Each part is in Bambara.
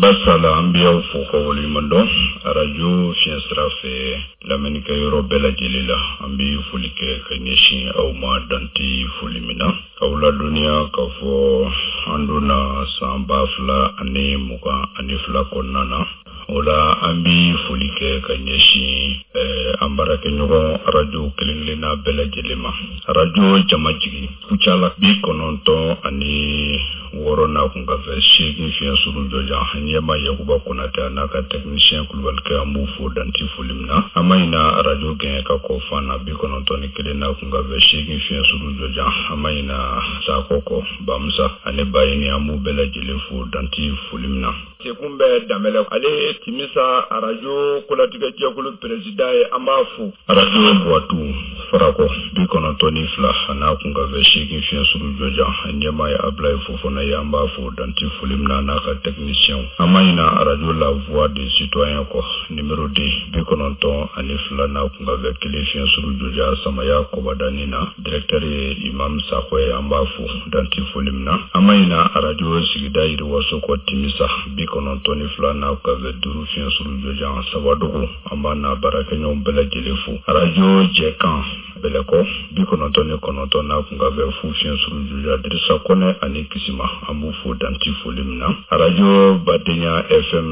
Basala an bɛ aw fo ka waleɲuman dɔn arajo fiɲɛ sira fɛ lamɛnnikɛ yɔrɔ bɛɛ lajɛlen la an bɛ foli kɛ ka ɲɛsin aw ma dan tɛ foli min na k'aw ladɔnniya k'a fɔ an donna san 2022 kɔnɔna na o la an bɛ foli kɛ ka ɲɛsin eh, an baarakɛɲɔgɔn arajo kelen-kelenna bɛɛ lajɛlen ma arajo jamajigi kucala 96 n'a kunkanfɛ 8 fiɲɛ suru jɔjan ɲɛmaa yakuba konatɛ a n'a ka tɛkinisiyɛn kulubalikɛ an b'u fo dan tɛ foli min na an ma ɲina arajo gɛɲɛka kɔ fana 91 n'a kunkanfɛ 8 fiɲɛ suru jɔjan an ma ɲina sakɔ kɔ bamusa ani bayini an b'u bɛɛ lajɛlen fo dan tɛ foli min na Sekun bɛ Danbɛlɛ ale ye Timisa arajo kolatigɛ jɛkulu peresidan ye an b'a fo. Arajo Buwatu Farakɔ 92 a n'a kunkanfɛ 8 fiɲɛ suru jɔjan a ɲɛmaa ye Abulayi Fofana ye an b'a fo dan tɛ foli min na a n'a ka tɛkinisiyɛnw an ma ɲina arajo La Voix du Citoyen kɔ nimero 2 92 n'a kunkanfɛ 1 fiɲɛ suru jɔjan Samaya Kɔbadani na Directeur ye Imam Sakɔ ye an b'a fo dan tɛ foli min na an ma ɲina arajo sigida yiriwaso kɔ Timisa 92 n'a kunkanfɛ 5 fiɲɛ suru jɔjan Sabadogo an b'a n'a baarakɛɲɔgɔn bɛɛ lajɛlen fo arajo Jɛkan Bɛlɛkɔ 99 n'a kunkanfɛ fu fiɲɛ suru jɔjan Dirisa Kɔnɛ ani Kisima an b'u fo dan tɛ foli min na arajo Badenya FM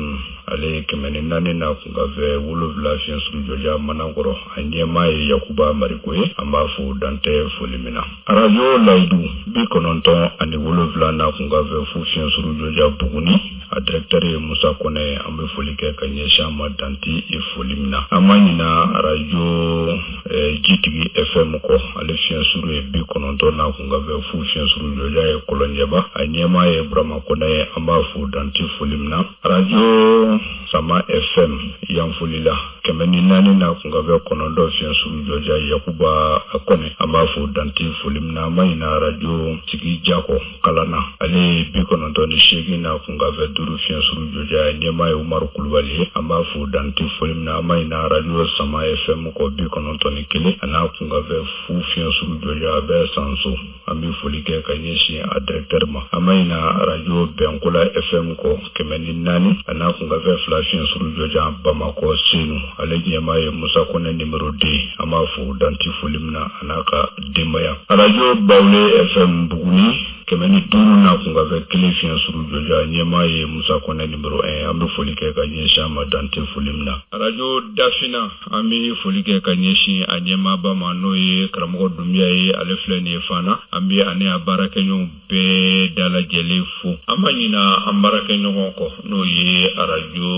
ale ye 104 n'a kunkanfɛ 7 fiɲɛ suru jɔjan Manakɔrɔ a ɲɛmaa ye Yakuba Mariko ye an b'a fo dan tɛ foli min na arajo Layidu 97 n'a kunkanfɛ fu fiɲɛ suru jɔjan Buguni a directeur ye Musa Kɔnɛ ye an bɛ foli kɛ ka ɲɛsin a ma dan tɛ foli min na an ma ɲina arajo eh, Jitigi FM kɔ ale fiɲɛ suru ye 90 n'a kunkanfɛ fu fiɲɛ suru jɔjan ye Kɔlɔnjɛba a ɲɛmaa ye Burama Kɔnɛ ye an b'a fo dan tɛ foli min na arajo Sama FM Yanfolila 104 n'a kunkanfɛ 9 fiɲɛ suru jɔjan Yakuba Kɔnɛ an b'a fo dan tɛ foli min na an ma ɲina arajo sigi jakɔ Kalana ale ye 98 n'a kunkanfɛ 5 fiɲɛ suru jɔjan a ɲɛmaa ye Umaru Kulubali ye an b'a fo dan tɛ foli min na an ma ɲina arajo Sama FM kɔ 91 a n'a kunkanfɛ fu fiɲɛ suru jɔjan a bɛ Sanso an bɛ foli kɛ ka ɲɛsin a directeur ma an ma ɲina arajo Bɛnkola FM kɔ 104 a n'a kunkanfɛ 2 fiɲɛ suru jɔjan Bamakɔ Senu ale ɲɛmaa ye Musa Kɔnɛ numéro 2 an b'a fo dan tɛ foli min na a n'a ka denbaya arajo Bawule FM Buguni 105 n'a kunkanfɛ 1 fiɲɛ suru jɔjan ɲɛmaa ye Musa Kɔnɛ numéro 1 an bɛ foli kɛ ka ɲɛsin a ma dan tɛ foli min na arajo Dafina an bɛ foli kɛ ka ɲɛsin a ɲɛmaaba ma n'o ye karamɔgɔ Dunbiya ye ale filɛ nin ye Fana an bɛ ani a baarakɛɲɔgɔnw bɛɛ dalajɛlen fo an ma ɲina an baarakɛɲɔgɔn kɔ n'o ye arajo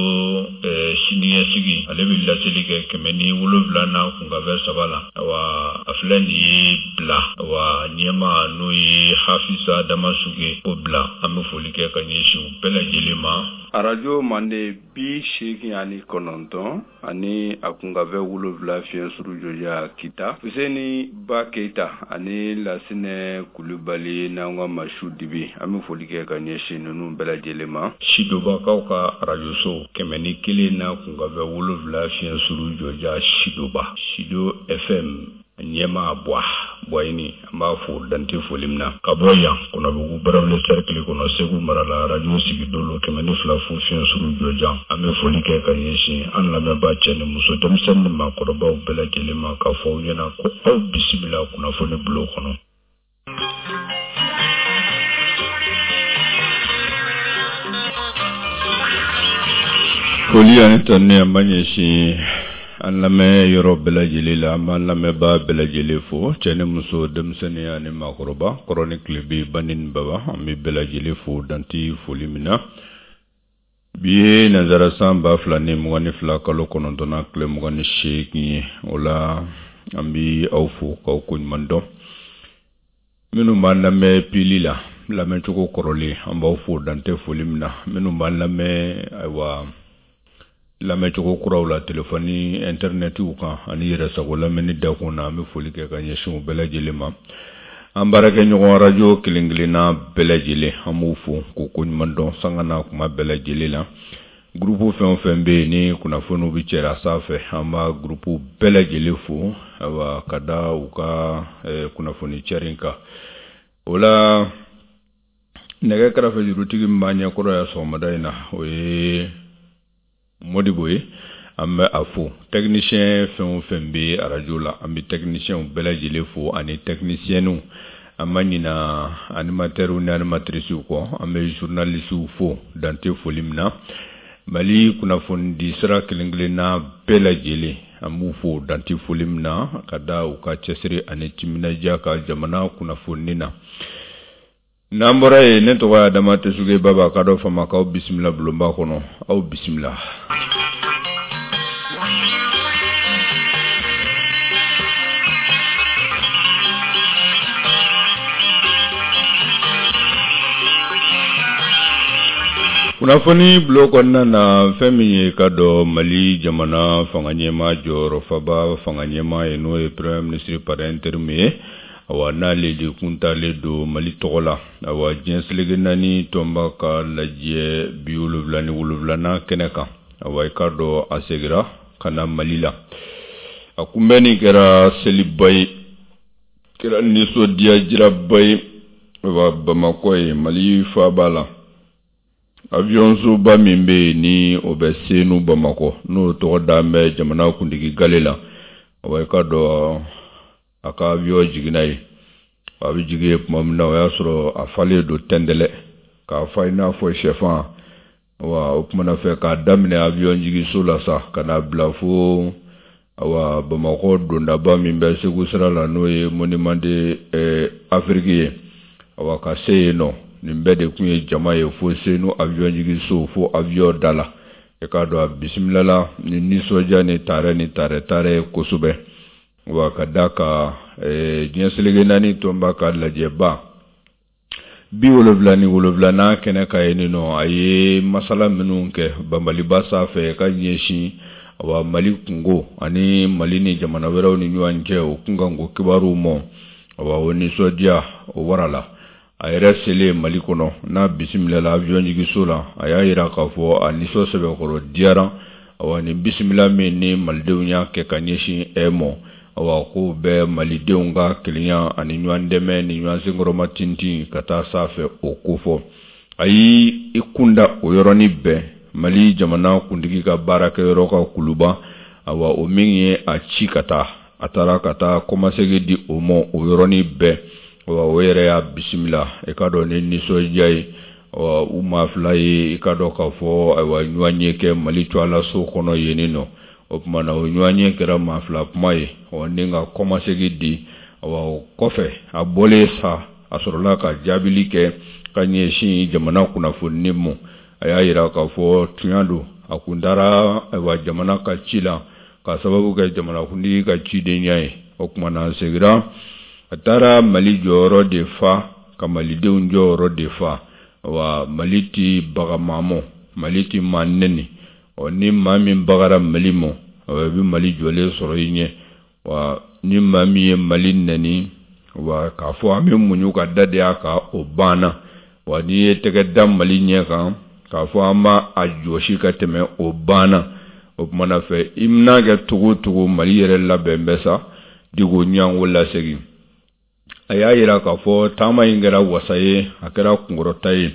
eh, siniɲɛsigi ale bɛ laseli kɛ 107 n'a kunkanfɛ 3 la awa a filɛ nin ye bila awa ɲɛmaa n'o ye Hafisa Damasuge ko bila an bɛ foli kɛ ka ɲɛsin u bɛɛ lajɛlen ma arajo mande 89 ani a kunkanfɛ 7 fiɲɛ suru jɔjan kita fuseni ba keyita ani lasinɛ kulubali n'an ka masu dibi an bɛ foli kɛ ka ɲɛsin ninnu bɛɛ lajɛlen ma sidobakaw ka arajoso 101 n'a kunkanfɛ 7 fiɲɛ suru jɔjan sidoba sido fm ɲɛmaa buwa buwayini an b'a fo dan tɛ foli min na ka bɔ yan kɔnɔbugu barawuli sɛrikili kɔnɔ segu mara la arajo sigidolo 102 fu fiɲɛ suru jɔjan an bɛ foli kɛ ka ɲɛsin an lamɛnbaa cɛ ni muso denmisɛnnin ni maakɔrɔbaw bɛɛ lajɛlen ma k'a fɔ aw ɲɛna ko aw bisimila kunnafoni bulon kɔnɔ Foli ani tanuni an b'a ɲɛsin an lamɛn yɔrɔ bɛɛ lajɛlen la an b'an lamɛnbaa bɛɛ lajɛlen fo cɛ ni muso denmisɛnnin ani maakɔrɔba kɔrɔn ni tilebin bani ni baba an bɛ bɛɛ lajɛlen fo dan tɛ foli min na bi ye nanzara san 2022 kalo kɔnɔntɔnnan tile 28 ye o la an bɛ aw fo k'aw koɲuman dɔn Minnu b'an lamɛn pili la lamɛncogo kɔrɔlen an b'aw fo dan tɛ foli min na minnu b'an lamɛn ayiwa lamɛncogo kuraw la telefɔni ɛntɛrinɛtiw kan ani yɛrɛsago lamɛnni dakun na an bɛ foli kɛ ka ɲɛsin u bɛɛ lajɛlen ma an baarakɛɲɔgɔn arajo kelen-kelenna bɛɛ lajɛlen an b'u fo k'u koɲuman dɔn sanga n'a kuma bɛɛ lajɛlen la. Gurupu fɛn o fɛn bɛ yen ni kunnafoniw bɛ cɛra sanfɛ, an b'a gurupu bɛɛ lajɛlen fo, ayiwa, ka da u ka kunnafoni cɛrin kan. O la, nɛgɛ kɛrɛfɛ jurutigi min b'an ɲɛkɔrɔ yan sɔgɔmada in na, o ye Modibo ye, an bɛ a fo. Technicien fɛn o fɛn bɛ arajo la, an bɛ technicienw bɛɛ lajɛlen fo ani technicienw. An ma ɲina animateurs ni animatrices kɔ, an bɛ journalistes fo dan tɛ foli min na. Mali kunnafonidi sira kelen kelenna bɛɛ lajɛlen, an b'u fo dan tɛ foli min na, ka da u ka cɛsiri ani timinadiya ka jamana kunnafoni na. N'an bɔra yen, ne tɔgɔ ye Adama Tesuge Baba, ka dɔ fama k'aw bisimila bulonba kɔnɔ. Aw bisimila. Kunnafoni bulon kɔnɔna na, fɛn min ye ka dɔn Mali jamana fanga ɲɛmaa jɔyɔrɔfaba fanga ɲɛmaa ye, n'o ye premier ministre par intérim ye, awa, n'ale de kun talen don Mali tɔgɔ la, awa, diɲɛ seleke naani tɔnba ka lajɛ 77nan kɛnɛ kan, awa, i k'a dɔn a segira ka na Mali la. A kunbɛnni kɛra seliba ye, kɛra nisɔndiya jiraba ye, awa, Bamakɔ ye, Mali faaba la. Avion-soba min bɛ yen ni o bɛ Senu Bamakɔ, n'o tɔgɔ dalen bɛ jamana kuntigi gale la, awa, i k'a dɔn a ka avion jiginna yen. A bɛ jigin yen tuma min na, o y'a sɔrɔ a falen don tɛntɛlɛ k'a fa i n'a fɔ sɛfan. Wa o tumana fɛ, k'a daminɛ avion jiginso la sa, ka n'a bila fo, awa, Bamakɔ dondaba min bɛ Segu sira la, n'o ye monument de Afrique ye, awa, ka se yen nɔ, nin bɛɛ de tun ye jama ye fo Senu avion jiginso, fo avion da la. I k'a dɔn a bisimilala ni nisɔndiya ni taarɛ ni taarɛ taarɛ ye kosɛbɛ. Wa ka da ka diɲɛ seleke naani tɔnba ka lajɛba 77nan kɛnɛ kan yen nɔ, a ye masala minnu kɛ banbaliba sanfɛ ka ɲɛsin, awa, Mali kunko ani Mali ni jamana wɛrɛw ni ɲɔgɔn cɛ, o kunkanko kibaruw ma, awa, o nisɔndiya o warala. A yɛrɛ selen Mali kɔnɔ, n'a bisimilala avion jiginso la, a y'a jira k'a fɔ a nisɔn sɛbɛkɔrɔ diyara, awa, nin bisimila min ni malidenw y'a kɛ ka ɲɛsin e ma, awa, k'o bɛ malidenw ka kelenya ani ɲɔgɔn dɛmɛ ni ɲɔgɔn senkɔrɔma tintin ka taa sanfɛ, o kofɔ. A y'i kunda o yɔrɔnin bɛɛ Mali jamana kuntigi ka baarakɛyɔrɔ ka kuluba, awa, o min ye a ci ka taa, a taara ka taa kɔmasegin di o ma o yɔrɔnin bɛɛ. Wa o yɛrɛ y'a bisimila, i k'a dɔn, ni nisɔndiya ye. U maa fila ye, i k'a dɔn k'a fɔ, ayiwa, ɲɔgɔn ye kɛ Mali tɔgɔlaso kɔnɔ yen nɔ. O tuma na, o ɲɔgɔn ye kɛra maa fila kuma ye, ɔ, ni ka kɔmasegin di. Awa, o kɔfɛ, a bɔlen sa, a sɔrɔla ka jaabili kɛ ka ɲɛsin jamana kunnafoni ma. A y'a jira k'a fɔ tiɲɛ don, a kun taara, ayiwa, jamana ka ci la ka sababu kɛ jamanakuntigi ka cidenya ye. O tuma na, a seginna, a taara Mali jɔyɔrɔ de fa, ka malidenw jɔyɔrɔ de fa. Wa Mali tɛ baga maa ma, Mali tɛ maa nɛni. Ɔ, ni maa min bagara Mali ma, i bɛ Mali jɔlen sɔrɔ i ɲɛ. Wa ni maa min ye Mali nɛni, wa k'a fɔ an bɛ muɲu ka da de a kan, o banna. Wa n'i ye tɛgɛ da Mali ɲɛ kan k'a fɔ an b'a a jɔsi ka tɛmɛ, o banna. O tuma na fɛ, i n'a kɛ cogo o cogo, Mali yɛrɛ labɛn bɛ sa diko ɲango lasegin. A y'a jira k'a fɔ taama in kɛra wasa ye, a kɛra kunkɔrɔta ye.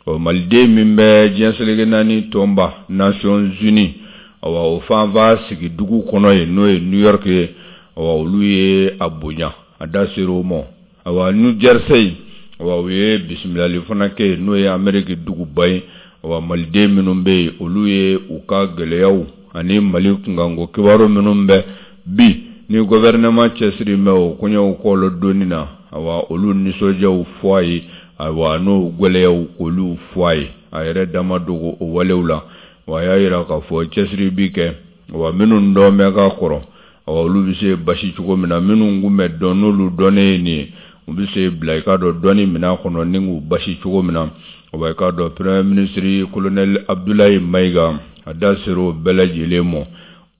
Ɔ, maliden min bɛ diɲɛ seleke naani tɔnba Nations Unies, awa, o fanfa sigi dugu kɔnɔ yen, n'o ye New York ye, awa, olu ye a bonya, a da sera o ma. Awa, New Jersey, awa, u ye bisimilali fana kɛ yen, n'o ye Ameriki duguba ye. Awa, maliden minnu bɛ yen, olu ye u ka gɛlɛyaw ani Mali kunkanko kibaru minnu bɛ bi ni gouvernement cɛsiri bɛ o koɲɛw kɔlɔ donni na, awa, olu nisɔndiyaw fɔ a ye, awa, n'o gɛlɛyaw k'olu fɔ a ye. A yɛrɛ da ma dogo o walew la. Wa a y'a jira k'a fɔ cɛsiri bi kɛ, wa minnu dɔn bɛ ka kɔrɔ, awa, olu bɛ se basi cogo min na, minnu kun bɛ dɔn n'olu dɔnnen ye nin ye, u bɛ se bila, i k'a dɔn, dɔnni minɛn kɔnɔ ni k'u basi cogo min na. Awa, i k'a dɔn, premier ministre colonel Abdoulaye Mayiga, a da sera o bɛɛ lajɛlen ma.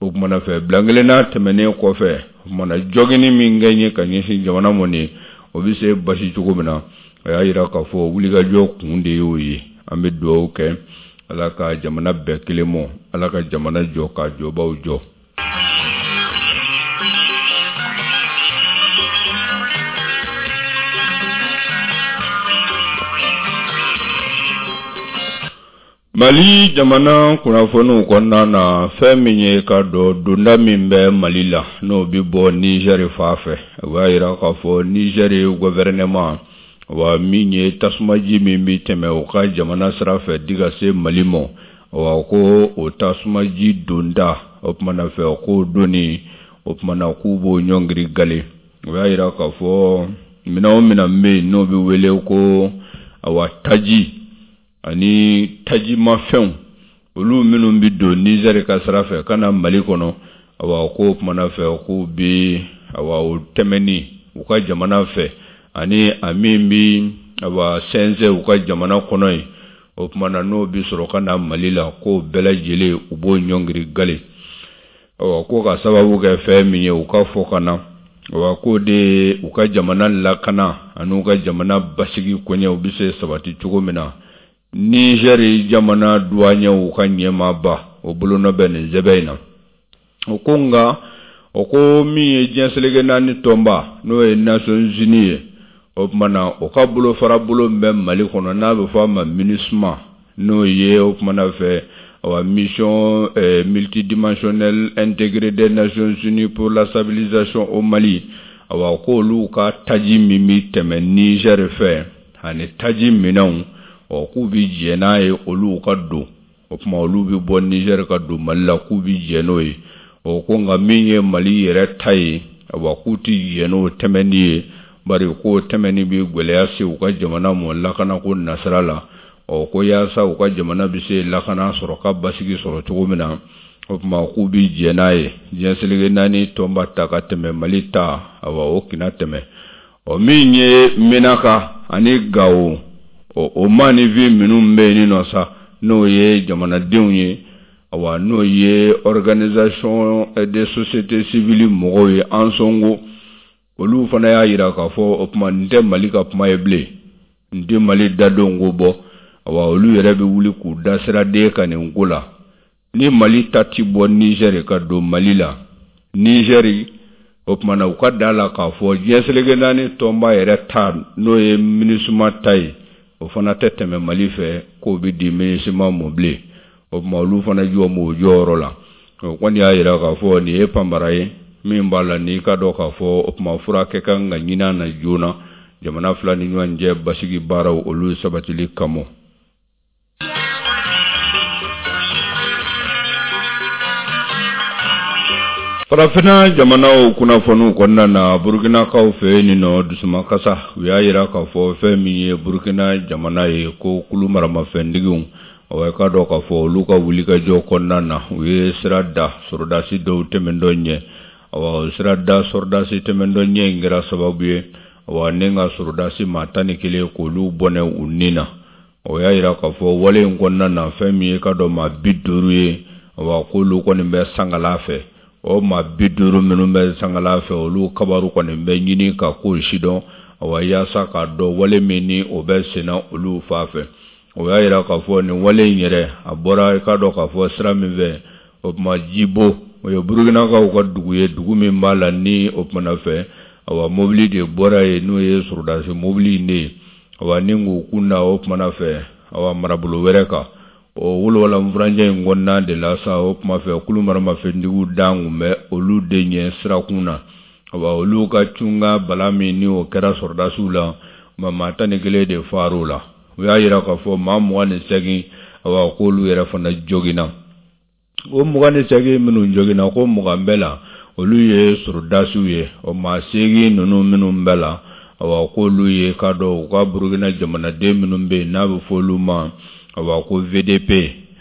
O tuma na fɛ, bilankelenna tɛmɛnen kɔfɛ, o tuma na, jɔgini min kɛ ye ka ɲɛsin jamana ma nin, o bɛ se basi cogo min na, a y'a jira k'a fɔ wulikajɔ kun de y'o ye. An bɛ dugawu kɛ. Ala ka jamana bɛɛ kelen mɔ, Ala ka jamana jɔ k'a jɔbaw jɔ. Mali jamana kunnafoniw kɔnɔna na, fɛn min ye ka dɔn donda min bɛ Mali la, n'o bɛ bɔ Nizɛri fan fɛ, o b'a jira k'a fɔ Nizɛri gɔfɛrɛnɛman, wa min ye tasumaji min bɛ tɛmɛ u ka jamana sira fɛ di ka se Mali ma, wa ko o tasumaji donda, o tuma na fɛ k'o donni, o tuma na k'u b'o ɲɔngiri gale. O y'a jira k'a fɔ minɛn o minɛn bɛ yen n'o bɛ wele ko awa taji ani tajimafɛnw, olu minnu bɛ don Nizɛri ka sira fɛ ka na Mali kɔnɔ, awa k'o tuma na fɛ k'u bɛ awa o tɛmɛni u ka jamana fɛ ani a min bɛ awa sɛnsɛn u ka jamana kɔnɔ yen, o tuma na n'o bɛ sɔrɔ ka na Mali la, k'o bɛɛ lajɛlen u b'o ɲɔngiri gale. Awa ko ka sababu kɛ fɛn min ye u ka fɔ ka na, awa k'o de ye u ka jamana lakana ani u ka jamana basigi koɲɛw bɛ se sabati cogo min na. Nizɛri jamana duwaɲɛw ka ɲɛmaaba o bolonɔ bɛ nin sɛbɛn in na. O ko nka o ko min ye diɲɛ seleke naani tɔnba n'o ye Nations Unies ye, o tuma na o ka bolofara bolo min bɛ Mali kɔnɔ n'a bɛ fɔ a ma MINUSMA, n'o ye o tuma na fɛ awa mission multidimensionnelle intégrée des Nations Unies pour la stabilisation au Mali, awa k'olu ka taji min bɛ tɛmɛ Niger fɛ ani taji minɛnw, ɔ k'u bɛ jɛn n'a ye olu ka don. O tuma olu bɛ bɔ Niger ka don Mali la, k'u bɛ jɛn n'o ye. O ko nka min ye Mali yɛrɛ ta ye, awa k'u tɛ jɛn n'o tɛmɛni ye, bari k'o tɛmɛni bɛ gɛlɛya se u ka jamana ma lakanako nasira la. Ɔ ko yaasa u ka jamana bɛ se lakana sɔrɔ ka basigi sɔrɔ cogo min na, o tuma k'u bɛ jɛn n'a ye diɲɛ seleke naani tɔnba ta ka tɛmɛ Mali ta, awa o kana tɛmɛ. Ɔ min ye Menaka ani Gawo, ɔ o maaninfin minnu bɛ yen nɔ sa, n'o ye jamanadenw ye, awa n'o ye organisation des sociétés civiles mɔgɔw ye, Ansongo, olu fana y'a jira k'a fɔ o tuma nin tɛ Mali ka kuma ye bilen, nin tɛ Mali dadon ko bɔ, awa olu yɛrɛ bɛ wuli k'u da siraden kan nin ko la. Ni Mali ta ti bɔ Nizɛri ka don Mali la, Nizɛri o tuma na u ka da la k'a fɔ diɲɛ seleke naani tɔnba yɛrɛ ta n'o ye MINUSMA ta ye, o fana tɛ tɛmɛ Mali fɛ k'o bɛ di MINUSMA ma bilen. O tuma olu fana jɔ b'o jɔyɔrɔ la. O kɔni y'a jira k'a fɔ nin ye panbara ye min b'a la n'i ka dɔn k'a fɔ o tuma furakɛ kan ka ɲini a na joona jamana fila ni ɲɔgɔn cɛ basigi baaraw olu sabatili kama. Farafinna jamanaw kunnafoniw kɔnɔna na, Burukinakaw fɛ yen nɔ dusumakasa, u y'a jira k'a fɔ fɛn min ye Burukina jamana ye ko kulu maramafɛntigiw, awa i k'a dɔn k'a fɔ olu ka wulikajɔ kɔnɔna na, u ye sira da sɔrɔdasi dɔw tɛmɛntɔ ɲɛ. Awa o sira da sɔrɔdasi tɛmɛntɔ ɲɛ in kɛra sababu ye, awa ni ka sɔrɔdasi maa 11 k'olu bɔnɛ u ni na. O y'a jira k'a fɔ wale in kɔnɔna na, fɛn min ye ka dɔn maa 50 ye, awa k'olu kɔni bɛ sankala fɛ. O maa 50 minnu bɛ sankala fɛ, olu kabaru kɔni bɛ ɲini ka kow sidɔn, awa yaasa k'a dɔn wale min ni o bɛ senna olu fan fɛ. O y'a jira k'a fɔ nin wale in yɛrɛ, a bɔra i k'a dɔn k'a fɔ sira min fɛ, o tuma Jibo, o ye Burukinakaw ka dugu ye, dugu min b'a la ni o tuma na fɛ, awa mobili de bɔra yen, n'o ye sɔrɔdasi mobili in de ye, awa ni k'u kun da o tuma na fɛ, awa marabolo wɛrɛ kan. O wolowala furancɛ in kɔnɔna de la sa, o tuma fɛ kulu maramafɛntigiw dan kun bɛ olu de ɲɛ sirakun na. Awa olu ka cunga bala min ni o kɛra sɔrɔdasiw la, maa 11 de far'o la. U y'a jira k'a fɔ maa 28, awa k'olu yɛrɛ fana joginna. O 28 minnu joginna, ko 20 bɛɛ la olu ye sɔrɔdasiw ye. O maa 8 ninnu minnu bɛɛ la, awa k'olu ye k'a dɔn u ka Burukina jamanaden minnu bɛ yen n'a bɛ fɔ olu ma, awa ko VDP.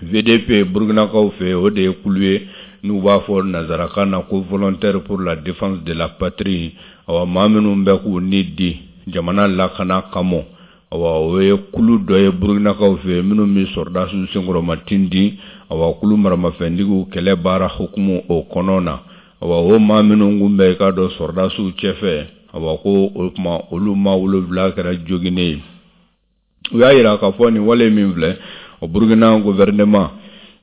VDP Burukinakaw fɛ, o de ye kulu ye n'u b'a fɔ nansarakan na ko volontaire pour la défense de la patrie. Awa maa minnu bɛ k'u ni di jamana lakana kama, awa o ye kulu dɔ ye Burukinakaw fɛ minnu bɛ sɔrɔdasiw senkɔrɔma tintin, awa kulu maramafɛntigiw kɛlɛ baara hukumu o kɔnɔ na. Awa o maa minnu kun bɛ i k'a dɔn sɔrɔdasiw cɛfɛ, awa ko o tuma olu maa 7 kɛra joginnen ye. U y'a jira k'a fɔ nin wale min filɛ, O Burukina gouvernement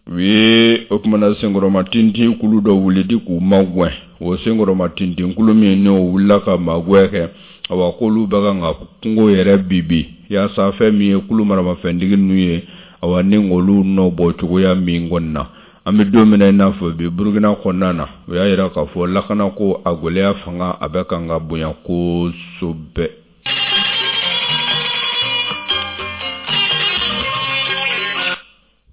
u ye o kumana senkɔrɔma tintin kulu dɔ wuli di k'u magɛn. O senkɔrɔma tintin kulu min n'o wulila ka magɛn kɛ, awa k'olu bɛ kan ka kungo yɛrɛ bibi yaasa fɛn min ye kulu maramafɛntigi ninnu ye, awa ni k'olu nɔ bɔ cogoya min kɔni na. An bɛ don min na i n'a fɔ bi, Burukina kɔnɔna na, u y'a jira k'a fɔ lakanako a gɛlɛya fanga a bɛ kan ka bonya kosɛbɛ.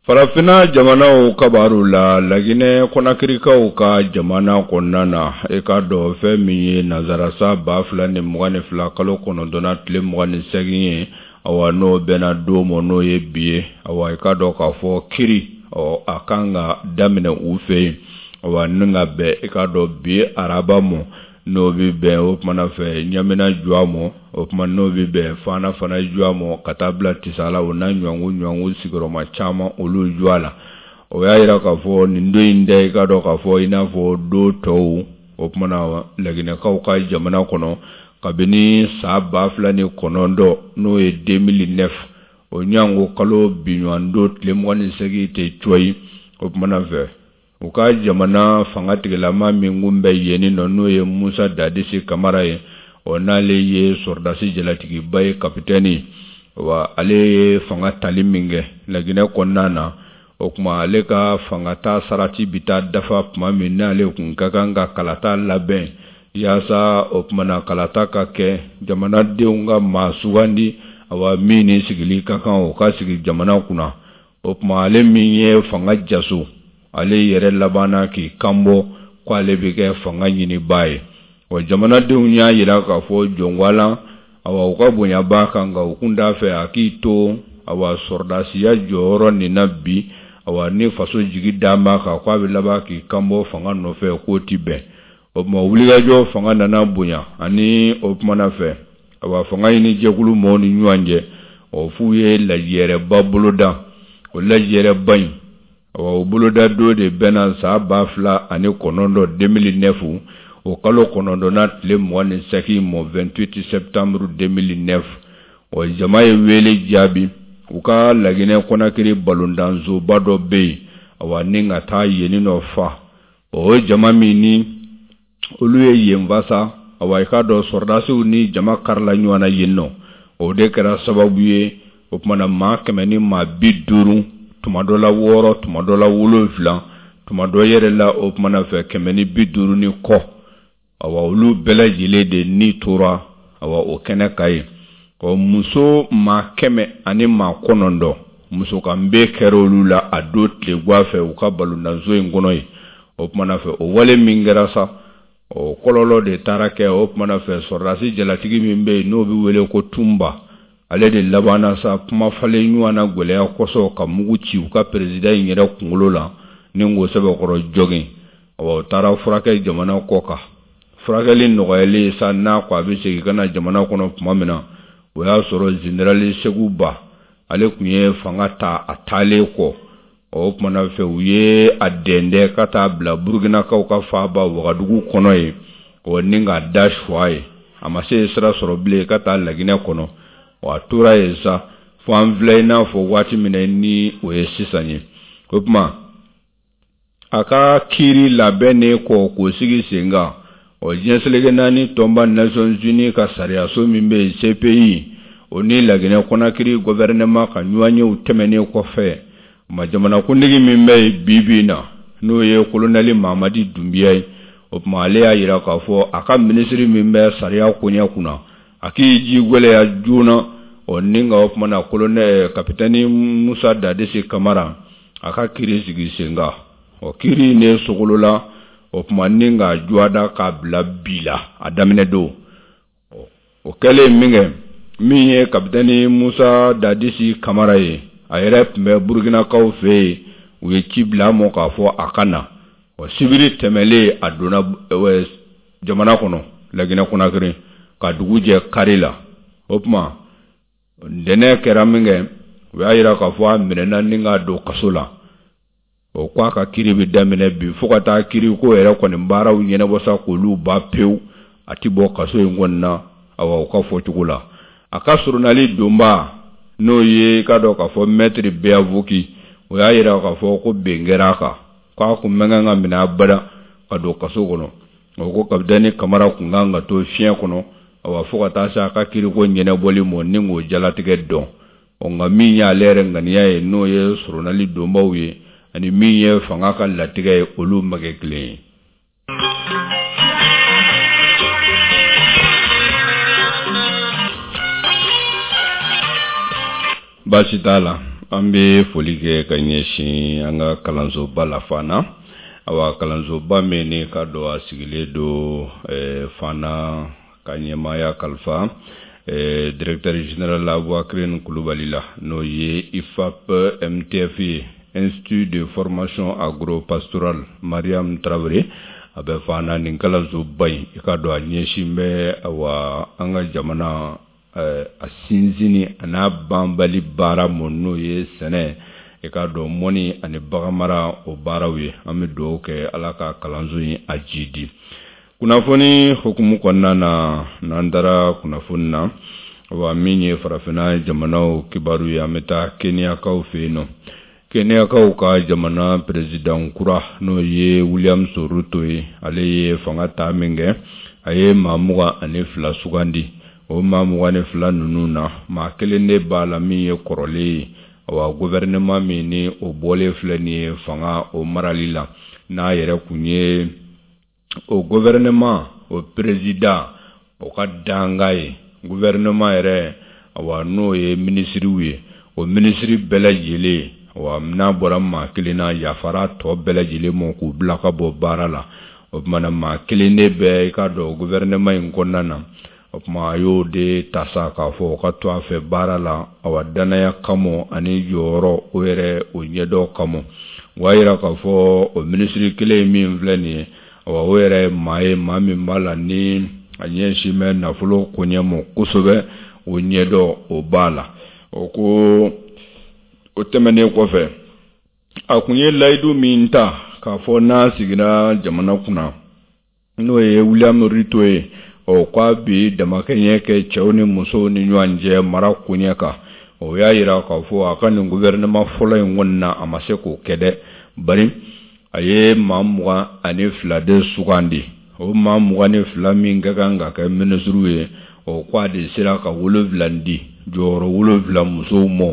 Farafinna jamanaw kabaru la, Laginɛ Kɔnakirikaw ka jamana kɔnɔna na, e k'a dɔn fɛn min ye nansara san 2022 kalo kɔnɔntɔnnan tile 28 ye, awa n'o bɛnna don ma n'o ye bi ye, awa i k'a dɔn k'a fɔ kiri ɔ a kan ka daminɛ u fɛ yen, awa ni ka bɛn i k'a dɔn bi araba ma, n'o bɛ bɛn o kumana fɛ ɲamina juwa ma, o tuma n'o bɛ bɛn fana fana juwa ma ka taa bila tisala o n'a ɲɔgɔn ɲɔgɔn sigiyɔrɔma caman olu juwa la. O y'a jira k'a fɔ nin don in tɛ i k'a dɔn k'a fɔ i n'a fɔ don tɔw o kumana laginɛkaw ka jamana kɔnɔ kabini san 2009 n'o ye 2009 o ɲango kalo biɲɔgɔn don tile 28 tɛ cɔyi o kumana fɛ. U ka jamana fanga tigilama min kun bɛ yen nɔ n'o ye Musa Dadisi Kamara ye, ɔ n'ale ye sɔrɔdasi jalatigiba ye kapitɛni, wa ale ye fanga tali min kɛ Laginɛ kɔnɔna na, o tuma ale ka fanga ta sarati bɛ taa dafa tuma min n'ale kun ka kan ka kalata labɛn yaasa o tuma na kalata ka kɛ jamanadenw ka maa sugandi, awa min ni sigili ka kan o ka sigi jamana kunna. O tuma ale min ye fanga jaso, ale yɛrɛ labanna k'i kanbɔ ko ale bɛ kɛ fanga ɲinibaa ye. Wa jamanadenw y'a jira k'a fɔ jɔnwalan, awa u ka bonya b'a kan, nka u kun t'a fɛ a k'i to awa sɔrɔdasiya jɔyɔrɔ nin na bi, awa ni faso jigi dalen b'a kan k'a bɛ laban k'i kanbɔ fanga nɔfɛ k'o tɛ bɛn. O tuma wulikajɔ fanga nana bonya ani o kumana fɛ awa fanga ɲini jɛkulu mɔgɔw ni ɲɔgɔn cɛ, ɔ f'u ye lajɛrɛba boloda. O lajɛrɛba in, awa o boloda don de bɛnna san 2009 2009 o kalo kɔnɔntɔnnan tile 28 mɔ 28 septembre 2009. Ɔ jama ye wele jaabi u ka Laginɛ Kɔnakiri balontansoba dɔ bɛ yen, awa ni ka taa yen nɔ fa. O jama min ni olu ye yen fa sa, awa i k'a dɔn sɔrɔdasiw ni jama karila ɲɔgɔn na yen nɔ. O de kɛra sababu ye o tuma na maa 150, tuma dɔ la wɔɔrɔ, tuma dɔ la wolonfila, tuma dɔ yɛrɛ la o tuma na fɛ 150 ni kɔ, awa olu bɛɛ lajɛlen de ni tora awa o kɛnɛ kan yen. Ɔ muso maa 109 muso kanbe kɛra olu la a don tilegan fɛ u ka balontanso in kɔnɔ yen. O tuma na fɛ o wale min kɛra sa, o kɔlɔlɔ de taara kɛ o tuma na fɛ sɔrɔdasi jalatigi min bɛ yen n'o bɛ wele ko Tunba, ale de labanna sa kuma falen ɲɔgɔn na gɛlɛya kosɔn ka mugu ci u ka peresidan in yɛrɛ kunkolo la ni k'o sɛbɛkɔrɔ jogin. Awa o taara furakɛ jamana kɔ kan. Furakɛli nɔgɔyalen sa n'a ko a bɛ segin ka na jamana kɔnɔ tuma min na, o y'a sɔrɔ zenerali Segu Ba ale tun ye fanga ta a taalen kɔ. O tuma na fɛ u ye a dɛndɛ ka taa bila Burukinakaw ka faaba Wagadugu kɔnɔ yen, ɔ ni k'a da suwa ye. A ma se sira sɔrɔ bilen ka taa Laginɛ kɔnɔ. Ɔ a tora yen sa fo an filɛ i n'a fɔ waati min na ni o ye sisan ye. O tuma a ka kiiri labɛnnen kɔ k'o sigi sen kan, ɔ diɲɛ seleke naani tɔnba Nations Unies ka sariyaso min bɛ yen CPI, o ni Laginɛ Conakry gouvernement ka ɲɔgɔnyew tɛmɛnen kɔfɛ, ma jamanakuntigi min bɛ yen bi bi in na n'o ye kolonɛli Mamadi Dunbiya ye, o tuma ale y'a jira k'a fɔ a ka minisiri min bɛ sariya koɲɛ kunna, a k'i ji gɛlɛya joona, ɔ ni ka o tuma na kolonɛ kapitɛni Musa Dadisi Kamara a ka kiri sigi sen kan. Ɔ kiri in de sogolola o tuma ni k'a juwada k'a bila bi la a daminɛ don. O kɛlen min kɛ, min ye kapitɛni Musa Dadisi Kamara ye, a yɛrɛ tun bɛ Burukinakaw fɛ yen, u ye ci bila a ma k'a fɔ a ka na. Ɔ sibiri tɛmɛlen a donna jamana kɔnɔ Laginɛ Konakiri ka dugu jɛ kari la. O tuma ntɛnɛn kɛra min kɛ, u y'a jira k'a fɔ a minɛna ni k'a don kaso la. O ko a ka kiri bɛ daminɛ bi fo ka taa kiri ko yɛrɛ kɔni baaraw ɲɛnabɔ sa k'olu ban pewu, a tɛ bɔ kaso in kɔni na, awa u ka fɔcogo la. A ka surunali donba, N'o ye i k'a dɔn k'a fɔ mɛtiri Beavoki, o y'a jira k'a fɔ ko ben kɛra a kan, k'a kun man kan ka minɛ abada ka don kaso kɔnɔ. O ko kapitɛni Kamara kun kan ka to fiɲɛ kɔnɔ, awa fo ka taa se a ka kiriko ɲɛnabɔli ma ni k'o jalatigɛ dɔn. Ɔ nka min y'ale yɛrɛ ŋaniya ye, n'o ye soronali donbaw ye, ani min ye fanga ka latigɛ ye, olu ma kɛ kelen ye. Baasi t'a la, an bɛ foli kɛ ka ɲɛsin an ka kalansoba la Fana. Awa kalansoba min ni k'a dɔn a sigilen don Fana ka ɲɛmaaya kalifa directeur général Abubakarine Kulubali la, n'o ye IFAP MTF ye, Institut de formation agro-pastorale Mariam Traoré. A bɛ Fana nin kalansoba in, i k'a dɔn a ɲɛsin bɛ awa an ka jamana a sinsinni a n'a banbali baara ma, n'o ye sɛnɛ, i k'a dɔn mɔni ani baganmara o baaraw ye. An bɛ dugawu kɛ Ala ka kalanso in a jidi. Kunnafoni hukumu kɔnɔna na, n'an taara kunnafoni na, wa min ye farafinna jamanaw kibaru ye, an bɛ taa Keniyakaw fɛ yen nɔ. Keniyakaw ka jamana perezidan kura, n'o ye William Ruto ye, ale ye fanga ta min kɛ, a ye maa 22 sugandi. O maa 22 ninnu na, maa kelen de b'a la min ye kɔrɔlen ye. Awa gouvernement min ni o bɔlen filɛ nin ye fanga o marali la, n'a yɛrɛ kun ye o gouvernement o président o ka danga ye, gouvernement yɛrɛ, awa n'o ye minisiriw ye, o minisiri bɛɛ lajɛlen, awa n'a bɔra maa kelen na, yafara tɔ bɛɛ lajɛlen ma k'u bila ka bɔ baara la. O tuma na maa kelen de bɛ i k'a dɔn gouvernement in kɔnɔna na. O tuma a y'o de ta sa k'a fɔ o ka to a fɛ baara la, awa danaya kama ani jɔyɔrɔ o yɛrɛ o ɲɛdɔn kama. O y'a jira k'a fɔ o minisiri kelen min filɛ nin ye, awa o yɛrɛ ye maa ye, maa min b'a la ni a ɲɛsin bɛ nafolo koɲɛ ma kosɛbɛ, o ɲɛdɔn o b'a la. O ko o tɛmɛnen kɔfɛ, a kun ye layidu min ta k'a fɔ n'a sigira jamana kunna, n'o ye William Ruto ye, ɔ k'a bi damakɛɲɛ kɛ cɛw ni musow ni ɲɔgɔn cɛ mara koɲɛ kan. O y'a jira k'a fɔ a ka nin gouvernement fɔlɔ in kɔni na, a ma se k'o kɛ dɛ, bari a ye maa 22 de sugandi. O maa 22 min ka kan ka kɛ minisiriw ye, o ko a de sera ka 7 di, jɔyɔrɔ 7 musow ma.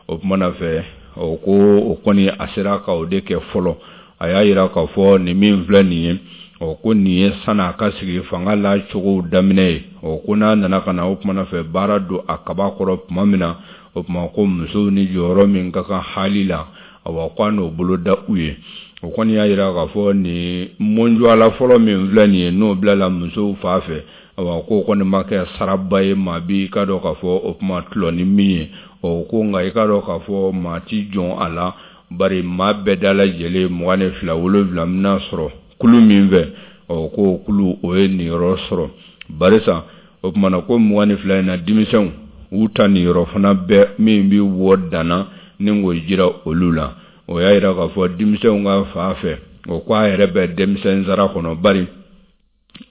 O tuma na fɛ, o ko o kɔni a sera ka o de kɛ fɔlɔ. A y'a jira k'a fɔ nin min filɛ nin ye, o ko nin ye san'a ka sigi fanga la cogow daminɛ ye. O ko n'a nana ka na o tuma na fɛ baara don a kaba kɔrɔ tuma min na, o tuma ko musow ni jɔyɔrɔ min ka kan hali la, awa ko a n'o bolo da u ye. O kɔni y'a jira k'a fɔ nin mɔnjɔla fɔlɔ min filɛ nin ye, n'o bilala musow fa fɛ, awa k'o kɔni ma kɛ saraba ye maa bi k'a dɔn k'a fɔ o tuma tulɔ ni min ye. O ko nka i k'a dɔn k'a fɔ maa ti jɔn a la, bari maa bɛɛ da lajɛlen 22, 7 bɛna sɔrɔ kulu min fɛ, ɔ k'o kulu o ye niyɔrɔ sɔrɔ. Barisa o tuma na ko 22 in na, denmisɛnw u ta niyɔrɔ fana bɛɛ min bɛ wɔ danna ni k'o jira olu la. O y'a jira k'a fɔ denmisɛnw ka fa fɛ, o ko a yɛrɛ bɛ denmisɛn sara kɔnɔ, bari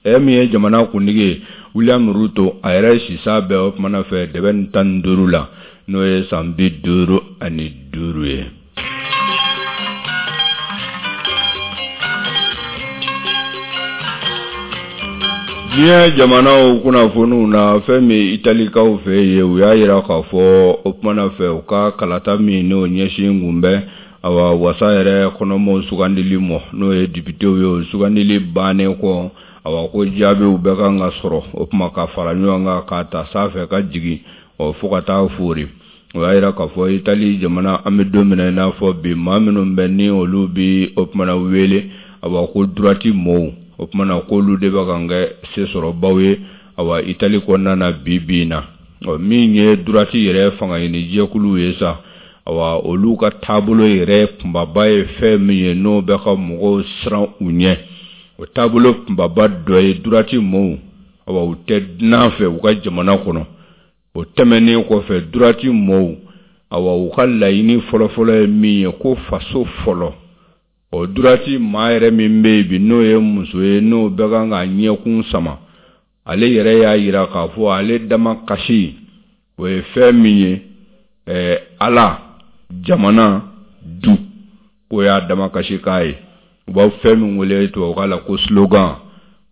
e min ye jamana kuntigi ye William Ruto, a yɛrɛ sisa bɛɛ o tuma na fɛ dɛbɛ ni 15 la, n'o ye san 55 ye. Diɲɛ jamanaw kunnafoniw na, fɛn min Italikaw fɛ yen, u y'a jira k'a fɔ o tuma na fɛ u ka kalata min n'o ɲɛsin kun bɛ awa wasa yɛrɛ kɔnɔmɔw sugandili ma, n'o ye depitew ye, o sugandili bannen kɔ, awa ko jaabiw bɛɛ kan ka sɔrɔ o tuma ka fara ɲɔgɔn kan k'a ta sanfɛ ka jigin, ɔ fo ka taa foori. O y'a jira k'a fɔ Itali jamana, an bɛ don min na i n'a fɔ bi, maa minnu bɛ ni olu bɛ o tuma na wele awa ko droite mɔɔw, o tuma na k'olu de bɛ kan kɛ sesɔrɔbaw ye awa Itali kɔnɔna na bi bi in na. Ɔ min ye droite yɛrɛ fangaɲini jɛkuluw ye sa, awa olu ka taabolo yɛrɛ kunbaba ye fɛn min ye n'o bɛ ka mɔgɔw siran u ɲɛ, o taabolo kunbaba dɔ ye droite mɔɔw, awa u tɛ dunan fɛ u ka jamana kɔnɔ. O tɛmɛnen kɔfɛ, droite mɔɔw, awa u ka laɲini fɔlɔfɔlɔ ye min ye ko faso fɔlɔ. O droite maa yɛrɛ min bɛ yen bi, n'o ye muso ye, n'o bɛ kan ka ɲɛkun sama, ale yɛrɛ y'a jira k'a fɔ ale dama kasi o ye fɛn min ye. Ala, jamana, du, k'o y'a damakasikan ye. U b'a fɛn min wele tubabukan la ko slogan.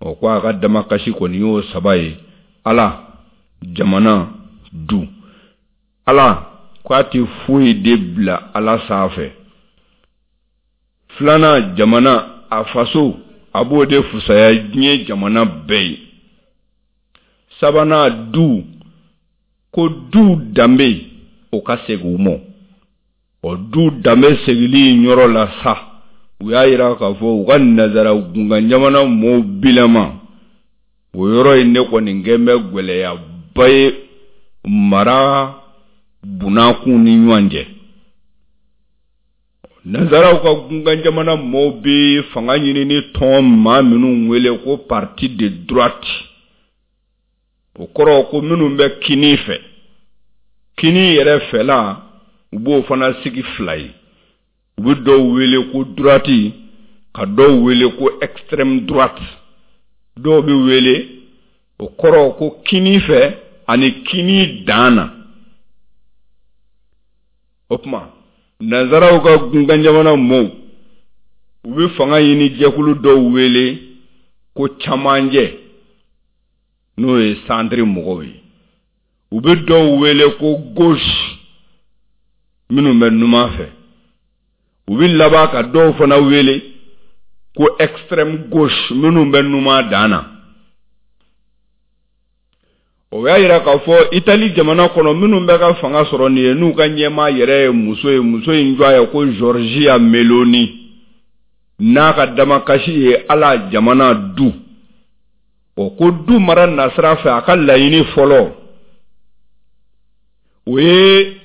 Ɔ, ko a ka damakasi kɔni y'o saba ye: Ala, jamana, du. Ala ko a tɛ foyi de bila Ala sanfɛ. Filanan, jamana, a faso, a b'o de fusaya diɲɛ jamana bɛɛ ye. Sabanan, du, ko du danbe o ka segin u ma. Ɔ, du danbe segili yɔrɔ la sa, u y'a yira k'a fɔ u ka nazara gunkan jamana mɔɔw bilama, o yɔrɔ in de kɔni kɛn bɛ gɛlɛyaba ye mara bunakun ni ɲɔgɔn cɛ. Nazaraw ka gunkan jamana mɔɔw bɛ fanga ɲini ni tɔn maa minnu wele ko parti de droite, o kɔrɔ ko minnu bɛ kini fɛ, kini yɛrɛ fɛla, u b'o fana sigi fila ye. U bɛ dɔw wele ko droite, ka dɔw wele ko extrême droite. Dɔw bɛ wele, o kɔrɔ ko kini fɛ ani kini dan na. O tuma, nanzaraw ka gunkan jamana mɔɔw, u bɛ fanga ɲini jɛkulu dɔw wele ko camancɛ, n'o ye centre mɔgɔw ye. U bɛ dɔw wele ko gauche, minnu bɛ numan fɛ. U bɛ laban ka dɔw fana wele ko extrême gauche, minnu bɛ numan dan na. O y'a yira k'a fɔ Itali jamana kɔnɔ, minnu bɛ ka fanga sɔrɔ nin ye, n'u ka ɲɛmaa yɛrɛ ye muso ye, muso in jɔ ye ko Giorgia Meloni, n'a ka damakasi ye Ala, jamana, du. O ko du mara nasira fɛ, a ka laɲini fɔlɔ, o ye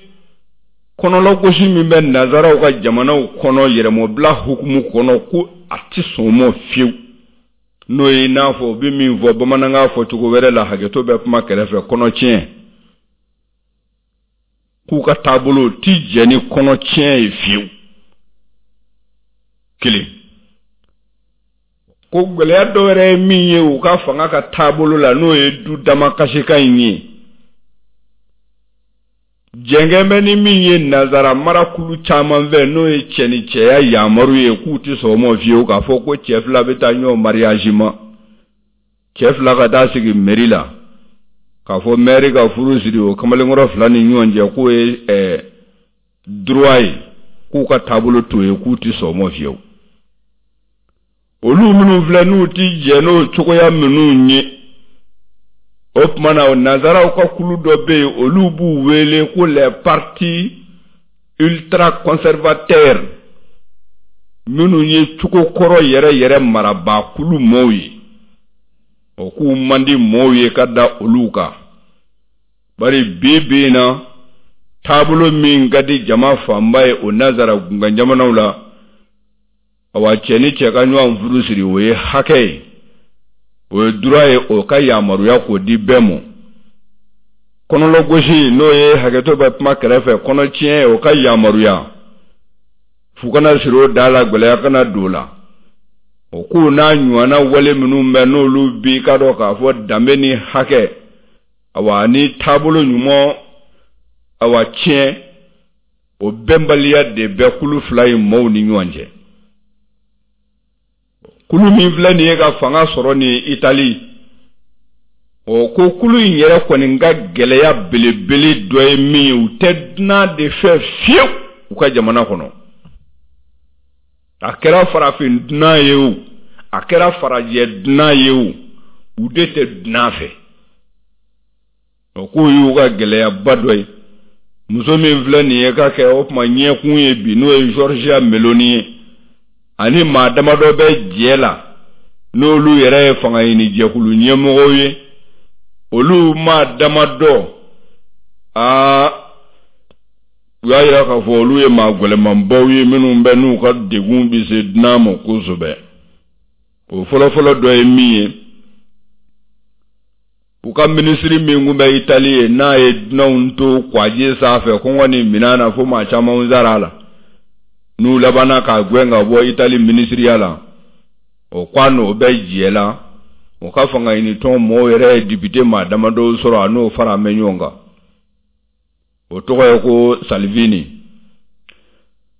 kɔnɔlagosi min bɛ nazaraw ka jamanaw kɔnɔ yɛrɛmɔbila hukumu kɔnɔ, ko a tɛ sɔn o ma fiyewu. N'o ye i n'a fɔ u bɛ min fɔ bamanankan fɔcogo wɛrɛ la, hakɛto bɛ kuma kɛrɛfɛ, kɔnɔtiɲɛ, k'u ka taabolo ti jɛ ni kɔnɔtiɲɛ ye fiyewu. Kelen ko gɛlɛya dɔ wɛrɛ ye min ye u ka fanga ka taabolo la, n'o ye du damakasikan in ye, jɛnkɛn bɛ ni min ye nazara marakulu caman fɛ, n'o ye cɛ ni cɛya yamaru ye, k'u tɛ sɔn o ma fiyewu. K'a fɔ ko cɛ fila bɛ taa ɲɔgɔn mariage ma, cɛ fila ka taa sigi mairie la, k'a fɔ maire ka furu siri o kamalenkɔrɔ fila ni ɲɔgɔn cɛ, k'o ye droit ye, k'u ka taabolo t'o ye, k'u tɛ sɔn o ma fiyewu. Olu minnu filɛ, n'u ti jɛ n'o cogoya minnu ye, o tuma na, nanzaraw ka kulu dɔ bɛ yen, olu b'u wele ko les partis ultra conservateurs, minnu ye cogo kɔrɔ yɛrɛ yɛrɛ marabaa kulu mɔɔw ye. O k'u man di mɔɔw ye ka da olu kan, bari bi bi in na, taabolo min ka di jama fanba ye o nanzara gunkan jamanaw la, awa, cɛ ni cɛ ka ɲɔgɔn furu siri, o ye hakɛ ye, o ye droit ye, o ka yamaruya k'o di bɛɛ ma. Kɔnɔlɔgosi, n'o ye hakɛto bɛ kuma kɛrɛfɛ, kɔnɔtiɲɛ, o ka yamaruya, fu kana siri o da la, gɛlɛya kana don o la. O k'u n'a ɲɔgɔnna wale minnu bɛ, n'olu bi ka dɔn k'a fɔ danbe ni hakɛ, awa, ni taabolo ɲuman, awa, tiɲɛ, o bɛnbaliya de bɛ kulu fila in mɔɔw ni ɲɔgɔn cɛ. Kulu min filɛ nin ye ka fanga sɔrɔ nin Itali, o ko kulu in yɛrɛ kɔni ka gɛlɛya belebele dɔ ye min ye, u tɛ dunan de fɛ fiyewu u ka jamana kɔnɔ. A kɛra farafin dunan ye o, a kɛra farajɛ dunan ye o, u de tɛ dunan fɛ. O k'o y'u ka gɛlɛyaba dɔ ye. Muso min filɛ nin ye ka kɛ o tuma ɲɛkun ye bi, n'o ye Giorgia Meloni ye, ani maa damadɔ bɛ jɛ la, n'olu yɛrɛ ye fanga ɲini jɛkulu ɲɛmɔgɔw ye, olu maa damadɔ, aa, u y'a yira k'a fɔ olu ye maa gɛlɛmanbaw ye, minnu bɛ n'u ka degun bɛ se dunan ma kosɛbɛ. O fɔlɔfɔlɔ dɔ ye min ye, u ka minisiri min tun bɛ Itali ye, n'a ye dunanw to kwaji sanfɛ kɔngɔ ni minan na fo maa caman sara a la, n'u labanna k'a gɛn ka bɔ Itali minisiriya la, o ko a n'o bɛ jɛ la. O ka fanga ɲini tɔn mɔgɔw yɛrɛ ye député maa damadɔw sɔrɔ, a n'o fara bɛ ɲɔgɔn kan. O tɔgɔ ye ko Salvini.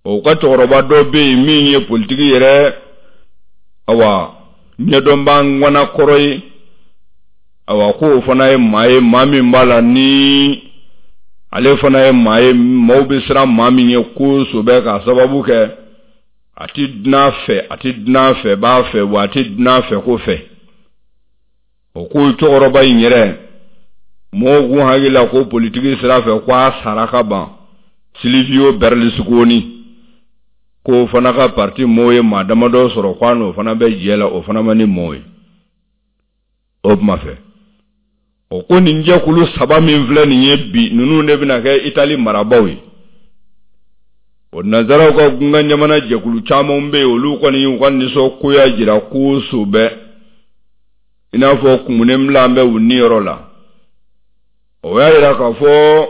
O ka cɛkɔrɔba dɔ bɛ yen min ye politiki yɛrɛ awa ɲɛdɔnbaa ŋana kɔrɔ ye. Awa ko o fana ye maa ye, maa min b'a la ni ale fana ye maa ye maaw bɛ siran maa min ye kosɛbɛ, k'a sababu kɛ a ti dunan fɛ, a ti dunan fɛ b'a fɛ, wa a ti dunan fɛ ko fɛ. O ko cɛkɔrɔba in yɛrɛ, mɔgɔw kun hakili la ko politiki sira fɛ ko a sara ka ban, Silvio Berlusconi, k'o fana ka parti mɔgɔw ye maa damadɔ sɔrɔ, ko a n'o fana bɛ jɛ la, o fana ma ni mɔgɔw ye o kuma fɛ. O ko nin jɛkulu saba min filɛ nin ye bi, ninnu de bɛna kɛ Itali marabaaw ye. O nansaraw ka gunkan jamana jɛkulu caman bɛ yen, olu kɔni y'u ka nisɔngoya jira kosɛbɛ, i n'a fɔ kumunen bila bɛ u niyɔrɔ la. O y'a jira k'a fɔ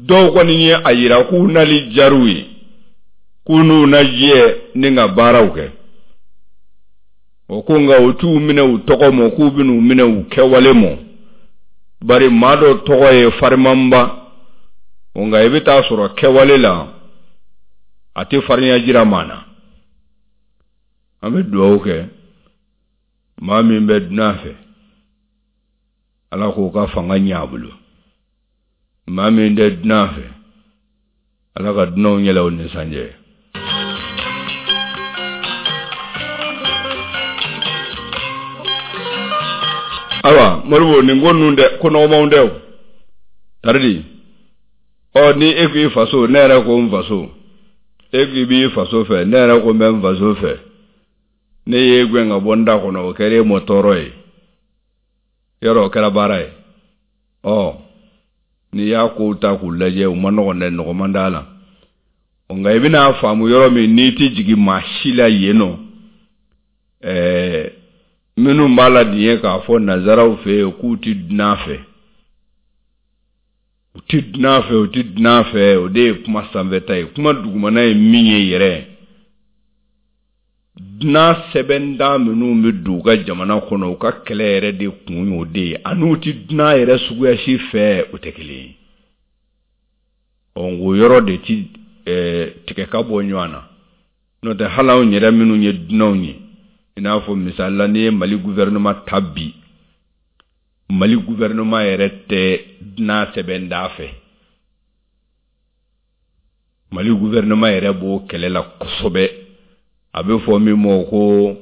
dɔw kɔni ye a jira k'u nali diyar'u ye, k'u n'u na jɛ ni ka baaraw kɛ. O ko nka u t'u minɛ u tɔgɔ mɔ, k'u bɛn'u minɛ u kɛwale mɔ, bari maa dɔ tɔgɔ ye farimanba, nka i bɛ taa sɔrɔ kɛwale la a tɛ farinya jira maa na. An bɛ dugawu kɛ maa min bɛ dunan fɛ, Ala k'o ka fanga ɲɛ a bolo. Maa min tɛ dunan fɛ, Ala ka dunanw yɛlɛ o ni sanjɛ. Ayiwa Modibo, nin ko ninnu dɛ, ko nɔgɔmanw tɛ o. Taridi ɔ, ni e ko i faso, ne yɛrɛ ko n faso, e ko i b'i faso fɛ, ne yɛrɛ ko n bɛ n faso fɛ, ne y'e gɛn ka bɔ n da kɔnɔ, o kɛra e mɔ tɔɔrɔ ye, yɔrɔ o kɛra baara ye. Ɔ n'i y'a kow ta k'u lajɛ, u ma nɔgɔn dɛ, nɔgɔman t'a la. Nka i bɛna faamu yɔrɔ min n'i tɛ jigin maa si la yen nɔ, ɛɛ minnu b'a la nin ye k'a fɔ nansaraw fɛ yen k'u tɛ dunan fɛ, u tɛ dunan fɛ, u tɛ dunan fɛ, o de ye kuma sanfɛta ye. Kuma dugumana ye min ye yɛrɛ, dunan sɛbɛndan minnu bɛ don u ka jamana kɔnɔ, u ka kɛlɛ yɛrɛ de kun y'o de ye, ani u tɛ dunan yɛrɛ suguya si fɛ, o tɛ kelen ye. Ɔ o yɔrɔ de ti tigɛ ka bɔ ɲɔgɔn na. N'o tɛ hali anw yɛrɛ minnu ye dunanw ye, i n'a fɔ misali la n'i ye Mali gouvernement ta bi, Mali gouvernement yɛrɛ tɛ dunan sɛbɛnda fɛ. Mali gouvernement yɛrɛ b'o kɛlɛ la kosɛbɛ. A bɛ fɔ min ma ko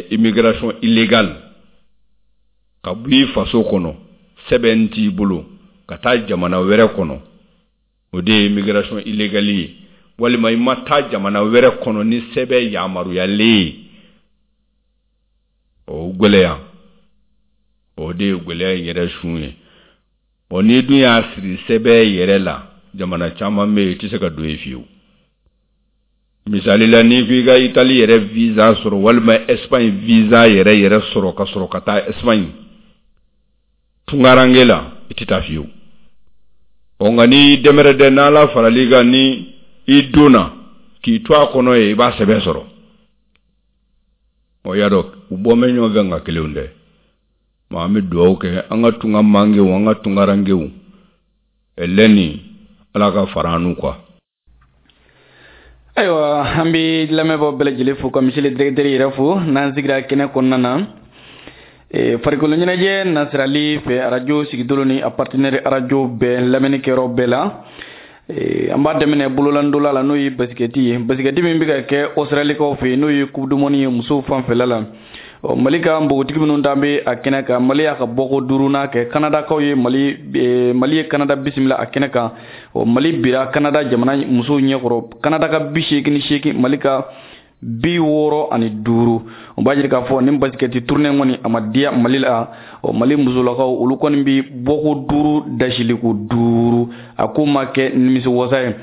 immigration illégale, ka bɔ i faso kɔnɔ, sɛbɛn t'i bolo, ka taa jamana wɛrɛ kɔnɔ, o de ye immigration illégale ye. Walima i ma taa jamana wɛrɛ kɔnɔ ni sɛbɛn yamaruyalen ye, o gɛlɛya, o de ye gɛlɛya in yɛrɛ sun ye. Ɔ n'i dun y'a siri sɛbɛn yɛrɛ la, jamana caman bɛ yen, i tɛ se ka don yen fiyewu. Misali la, n'i ko i ka Itali yɛrɛ visa sɔrɔ walima Espagne visa yɛrɛ yɛrɛ sɔrɔ ka sɔrɔ ka taa Espagne tunkaranke la, i tɛ taa fiyewu. Ɔ nka n'i dɛmɛrɛdɛ n'Ala faral'i kan, ni i donna k'i to a kɔnɔ yen, i b'a sɛbɛn sɔrɔ. Ɔ y'a dɔn u bɔ bɛ ɲɔgɔn fɛ, nka kelenw tɛ. An bɛ dugawu kɛ an ka tunga mankew, an ka tunkarankew lɛni, Ala ka fara an n'u kan. Ayiwa, an bɛ lamɛnbaaw bɛɛ lajɛlen fo ka monsieur le directeur yɛrɛ fo. N'an sigira kɛnɛ kɔnɔna na, farikolo ɲɛnajɛ nasirali fɛ, arajo sigidolo ni a partenaire arajo bɛɛ, lamɛnni kɛyɔrɔ bɛɛ la, an b'a daminɛ bololandola la, n'o ye basikɛti ye, basikɛti min bɛ ka kɛ Australikaw fɛ yen, n'o ye coupe du monde ye musow fanfɛla la. Ɔ Mali ka npogotigi minnu t'an bɛ a kɛnɛ kan, Mali y'a ka bɔko duurunan kɛ Kanadakaw ye. Mali, Mali ye Kanada bisimila a kɛnɛ kan. Ɔ Mali bira Kanada jamana musow ɲɛkɔrɔ, Kanada ka 88, Mali ka 65. O b'a jira k'a fɔ nin basikɛti tournée kɔni, a ma diya Mali la. Ɔ Mali musolakaw, olu kɔni bi bɔko duuru dasiliko duuru, a ko ma kɛ nimisi wasa ye.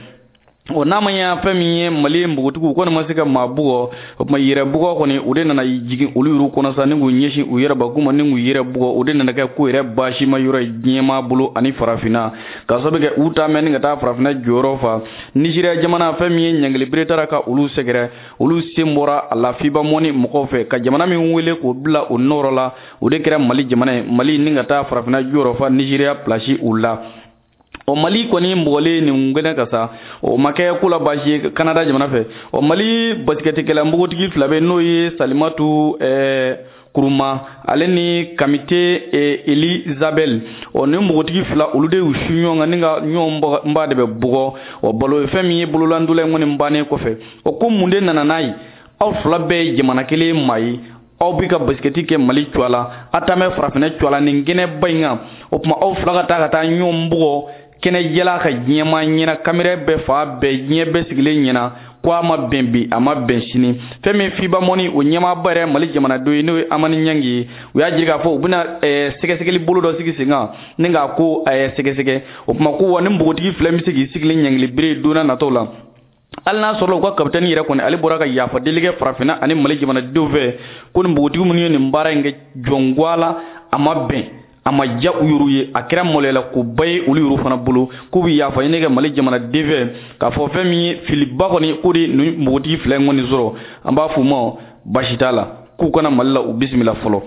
O n'a ma ɲɛ, fɛn min ye Mali npogotigiw kɔni ma se ka maa bugɔ, o tuma yɛrɛ bugɔ kɔni, o de nana jigin olu yɛrɛ kɔnɔ sa, ni k'u ɲɛsin u yɛrɛ bakun ma, ni k'u yɛrɛ bugɔ, o de nana kɛ ko yɛrɛ baasi ma yɔrɔ ye diɲɛmaa bolo ani farafinna, ka sababu kɛ u ta mɛn ni ka taa farafinna jɔyɔrɔ fa. Nizeriya jamana, fɛn min ye ɲangili bere taara ka olu sɛgɛrɛ, olu sen bɔra a la FIBA mɔni mɔgɔw fɛ, ka jamana min wele k'o bila o nɔrɔ la, o de kɛra Mali jamana ye. Mali ni ka taa farafinna jɔyɔrɔ fa Nizeriya place u la. O Mali kɔni mɔgɔlen nin gɛnɛ ka sa, o ma kɛ ko la baasi ye Kanada jamana fɛ. O Mali basikɛtikɛla npogotigi fila bɛ, n'o ye Salimatu Kuruma ale ni Kamite Elizabel. O ni npogotigi fila, olu de y'u su ɲɔgɔn kan ni ka ɲɔgɔn ba de bɛ bugɔ. O balo fɛn min ye bololandola in kɔni bannen kɔfɛ, o ko mun de nana n'a ye? Aw fila bɛɛ ye jamana kelen maa ye, aw bɛ ka basikɛti kɛ Mali cogoya la, a taa bɛ farafinna cogoya la nin kɛnɛba in kan. O tuma aw fila ka taa ɲɔgɔn bugɔ kɛnɛjɛla ka diɲɛmaa ɲɛna, kamera bɛɛ fa bɛɛ, diɲɛ bɛɛ sigilen ɲɛna, ko a ma bɛn bi, a ma bɛn sini. Fɛn min FIBA mɔni, o ɲɛmaaba yɛrɛ Mali jamanadenw ye, n'o ye Amani Ɲangi ye, u y'a jira k'a fɔ u bɛna sɛgɛsɛgɛli bolo dɔ sigi sen kan ni k'a ko sɛgɛsɛgɛ. O tuma ko wa ni npogotigi fila bɛ se k'i sigilen ɲangili bere don n'a nataw la, hali n'a sɔrɔla u ka kapitɛni yɛrɛ kɔni, ale bɔra ka yafa deli kɛ farafinna ani Mali jamanadenw fɛ, ko nin npogotigi minnu ye nin baara in kɛ jɔngoya la, a ma bɛn, a ma diya u yɛrɛw ye, a kɛra maloyala koba ye olu yɛrɛw fana bolo, k'u bɛ yafa ɲini kɛ Mali jamanaden fɛ k'a fɔ fɛn min ye filiba kɔni, k'o de nin npogotigi fila in kɔni sɔrɔ. An b'a f'u ma baasi t'a la, k'u kana Mali la, u bisimila fɔlɔ.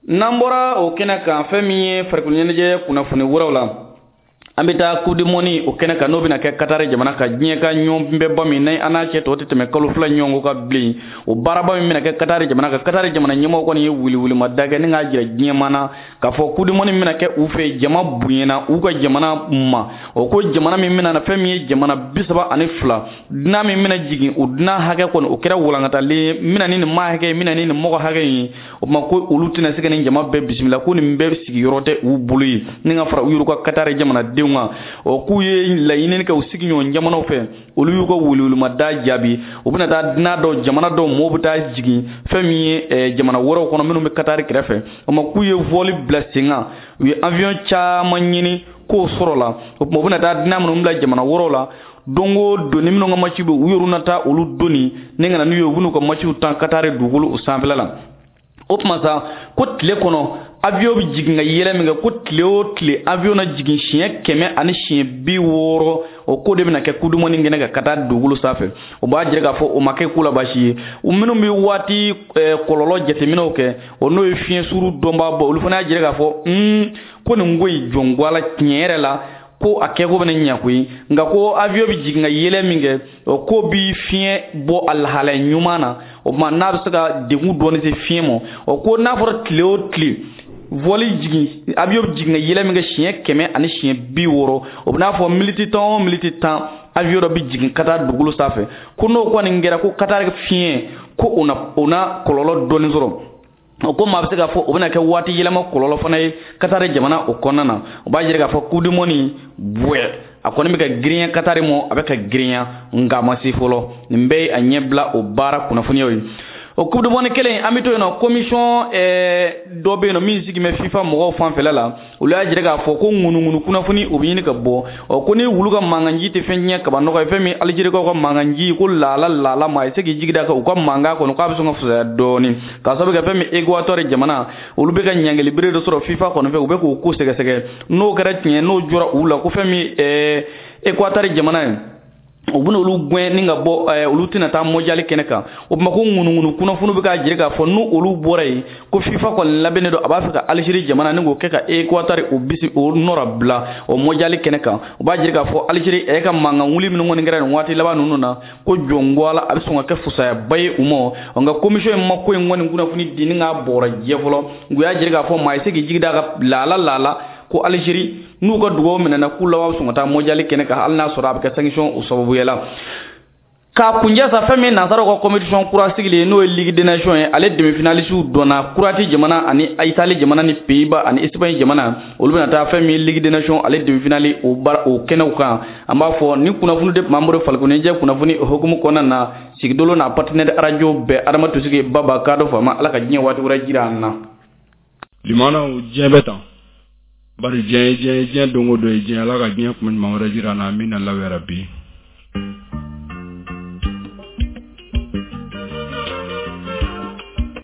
N'an bɔra o kɛnɛ kan, fɛn min ye farikolo ɲɛnajɛ kunnafoni wɛrɛw la, an bɛ taa Coupe du Monde o kɛnɛ kan, n'o bɛna kɛ Katari jamana kan, diɲɛ ka ɲɔgɔnbɛnba min n'a an n'a cɛ tɔ tɛ tɛmɛ kalo 2 ɲɔgɔn kɔ ka bilen. O baaraba min bɛna kɛ Katari jamana kan, Katari jamana ɲɛmɔgɔ kɔni ye wiliwilima da kɛ ni k'a jira diɲɛmaa na k'a fɔ Coupe du Monde min bɛna kɛ u fɛ, jama bonyana u ka jamana ma. O ko jamana min bɛna na, fɛn min ye jamana 32, dunan min bɛna jigin, o dunan hakɛ kɔni o kɛra walankatalen ye, n bɛna ni nin maa hakɛ ye, n bɛna ni nin mɔgɔ hakɛ ye. O tuma ko olu tɛna se ka nin jama bɛɛ bisimila, ko nin bɛɛ sigiyɔrɔ tɛ u bolo ye ni ka fara u yɛrɛ ka Katari jamanadenw kan. O k'u ye laɲini kɛ u sigiɲɔgɔn jamanaw fɛ, olu y'u ka welewelemada jaabi, u bɛna taa dunan dɔw, jamana dɔw mɔgɔw bɛ taa jigin fɛn min ye jamana wɛrɛw kɔnɔ minnu bɛ Katari kɛrɛfɛ. O ma k'u ye vol bila sen kan, u ye avion caman ɲini k'o sɔrɔ la. O tuma u bɛna taa dunan minnu bila jamana wɛrɛw la, don o don ni minnu ka match bɛ, u yɛrɛ na taa olu doni ni ka na n'u ye, u bɛn'u ka matchw tan Katari dugukolo o sanfɛla la. O tuma sa, ko tile kɔnɔ avion bɛ jigin ka yɛlɛ min kɛ, ko tile o tile avion na jigin siɲɛ 160, o ko de bɛna kɛ Coupe du Monde kɛnɛ kan ka taa dugukolo sanfɛ. O b'a jira k'a fɔ o ma kɛ ko la baasi ye. U minnu bɛ waati kɔlɔlɔ jateminɛw kɛ, o n'o ye fiɲɛ suru dɔnbaa bɔ, olu fana y'a jira k'a fɔ ko nin ko in jɔngoya la tiɲɛ yɛrɛ la, ko a kɛko bɛna ɲɛ koyi, nka ko avion bɛ jigin ka yɛlɛ min kɛ, o ko bi fiɲɛ bɔ a lahalaya ɲuman na. O tuma n'a bɛ se ka degun dɔɔni se fiɲɛ ma, o ko n'a fɔra tile o tile vol jigin, avion bɛ jigin ka yɛlɛ min kɛ siɲɛ 160, o bɛ n'a fɔ miniti 10 o miniti 10 avion dɔ bɛ jigin ka taa dugukolo sanfɛ, ko n'o kɔni kɛra, ko Katari fiɲɛ ko o na kɔlɔlɔ dɔɔni sɔrɔ. O ko maa bɛ se k'a fɔ o bɛna kɛ waati yɛlɛma kɔlɔlɔ fana ye Katari jamana o kɔnɔna na. O b'a jira k'a fɔ Coupe du Monde bɔɛ a kɔni bɛ ka girinya Katari mɔ, a bɛ ka girinya, nka a ma se fɔlɔ. Nin bɛɛ ye a ɲɛbila o baara kunnafoniyaw ye. O Coupe du Monde kelen, an bɛ to yen nɔ, commission dɔ bɛ yen nɔ min sigi bɛ FIFA mɔgɔw fanfɛla la, olu y'a jira k'a fɔ ko ŋunuŋunu kunnafoni o bɛ ɲini ka bɔ. Ɔ ko ni wulu ka mankanji tɛ fɛn tiɲɛ kaba nɔgɔ ye, fɛn min Alizerikaw ka mankanji ko laala laala maa ye se k'i jigi da kan u ka mankan kɔnɔ k'a bɛ sɔn ka fisaya dɔɔni, k'a sababu kɛ fɛn min Equateur jamana, olu bɛ ka ɲangili bere dɔ sɔrɔ FIFA kɔni fɛ, u bɛ k'o ko sɛgɛsɛgɛ. N'o kɛra tiɲɛ, n'o jɔra u la, ko fɛn min Equateur jamana ye, u bɛna olu gɛn ni ka bɔ, olu tɛna taa mondial kɛnɛ kan. O tuma ko ŋunuŋunu kunnafoni bɛ k'a jira k'a fɔ n'u olu bɔra yen, ko FIFA kɔni labɛnnen don, a b'a fɛ ka Algérie jamana ni k'o kɛ ka Equateur o bisi o nɔra bila o mondial kɛnɛ kan. O b'a jira k'a fɔ Algérie ɛ ka mankan wuli minnu kɔni kɛra nin waati laban ninnu na, ko jɔngoya la a bɛ sɔn ka kɛ fusayaba ye u ma. Nka commission in ma ko in kɔni kunnafoni di ni k'a bɔra jɛ fɔlɔ, u y'a jira k'a fɔ maa ye se k'i jigi da ka laala laala ko Algérie n'u ka dugawu minɛna, k'u laban bɛ sɔn ka taa mondial kɛnɛ kan, hali n'a sɔrɔ a bɛ kɛ sanction o sababuya la. K'a kunjɛ sa, fɛn min nansaraw ka compétition kura sigilen, n'o ye Ligue des Nations ye, ale demi-finaliste dɔnna Croatie jamana ani Italie jamana ni Pays-Bas ani Espagne jamana, olu bɛna taa fɛn min ye Ligue des Nations ale demi-finale o baara o kɛnɛw kan. An b'a fɔ ni kunnafoni de tun b'an bolo farikoloɲɛnajɛ kunnafoni o hukumu kɔnɔna na, Sigidolo n'a partenaire radio bɛɛ, Adama Tosigi Baba k'a dɔ faama, Ala ka diɲɛ waati wɛrɛ jira an na. Limanaw, diɲɛ bɛ tan bari, diɲɛ ye diɲɛ, diɲɛ don o don ye diɲɛ. Ala ka diɲɛ kuma ɲuman wɛrɛ jira an na, amina law yarabi.